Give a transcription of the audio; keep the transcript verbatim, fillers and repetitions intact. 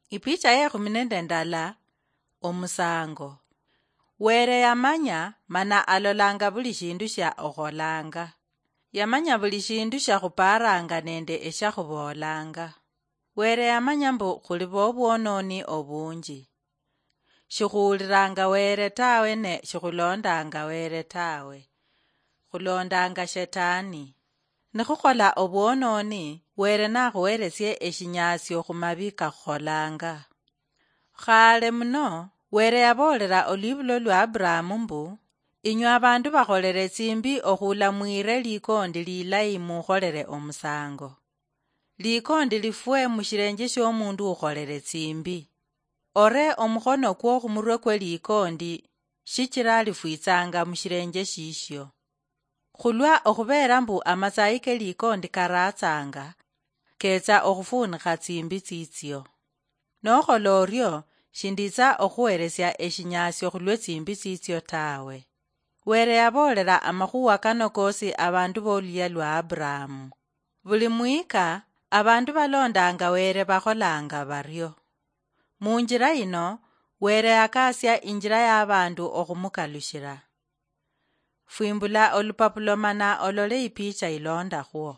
Ipicha yekhumi nende ndala. Omusango. Were yamanya mana alolanga buli shindu shia okholanga. Yamanya buli shindu shia khuparanga nende eshia khubolanga. Were yamanya mbu khuli bobwononi obunji. Shikhuuliranga Were tawe ne shikhulondanga Were tawe. Khulondanga Shetani. Nikhukhola obwononi, Were nakhuheresie eshinyasio khumabi kakhukholanga. Khale muno, Were yaboolera olwibulo lwa Aburahamu mbu, "Inywe abandu bakholere tsimbi okhuula mwire likondi lilayi mukholere omusango. Likondi lifwe mushirenje shiomundu ukholere tsimbi. Ore omukhono kwo khumurwe kwe likondi, shichira lifwitsanga mushirenje shishio. Khulwa okhubeera mbu amatsayi ke likondi karatsanga, ketsa okhufuunikha tsimbi tsitsio. Nokhola orio, shinditsa okhuheresia eshinyasio khulwe tsimbi tsitsio tawe." Were yaboolera amakhuwa kano kosi abandu boluya lwa Aburahamu. Buli mwika, abandu balondanga Were bakholanga bario. Munjira yino, Were yakasia injira ya abandu okhumukalushira. Fwimbula olupapulo mana olole ipicha ilondakhwo.